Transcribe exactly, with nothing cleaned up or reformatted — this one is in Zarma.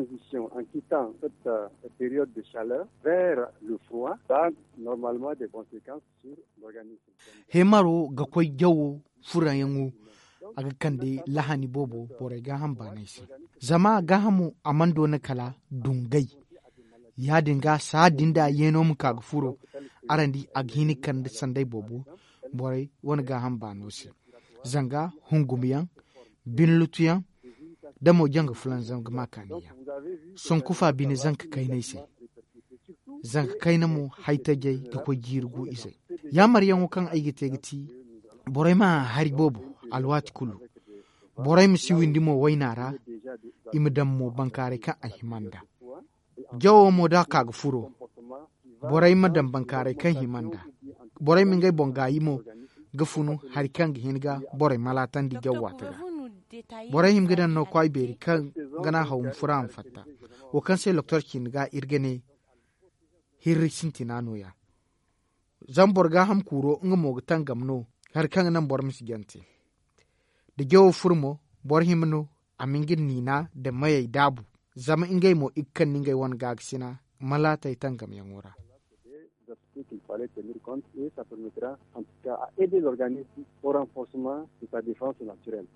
Transition en quittant cette période de chaleur vers le froid a normalement des conséquences sur l'organisme. Hemaro ga koy jawo furayaŋo a ga kande lahani boobo borey gaaham baanay se. Zama gaahamo a mana doona kala dungay. Ya- din ga saha din da yeeno ma ka ga furo, araŋ di a ga hin ga kande sanday boobo borey wane gaaham baano se. Zanga hungumyaŋ, binlutuyaŋ, da mo janga fulanzaŋ ga ma kaaniyaŋ. Sonkufa bine zanka kaynay se. Zanka kayna mo haytajey ga koy jiiri gu izey. Yaamaryaŋo kaŋ ay ga te ga ti borey ma hari boobo alwaati kulu. Borey ma si windi mo wayna ra. I ma daŋ mo bankaaray kaŋ a hima nd'a. Jawo mo da a ka ga furo, borey ma daŋ bankaaray kaŋ hima nd'a. Borey ma ngey boŋ gaayi mo ga funu hari kaŋ ga hin ga borey malaatandi jaw waati ra. Borey hima ga daŋ no kwaay beeri kaŋ ga naŋ haw ma furo a ma fatta. Wo kaŋ se doktor ciine ga iri ga ne hirri sintina nooya. Zama boro gaaham kuuro nga mo ga tangam no hari kaŋ ga naŋ boro ma si jante. Da jawo furo mo, boro hima no a ma nga niina nda mayey daabu. Zama ngey mo i ga kande ngey wane gaakasina malaatey tangamyaŋo ra. Des aspects qu'il fallait tenir compte et ça permettra en tout cas à aider l'organisme au renforcement de sa défense naturelle.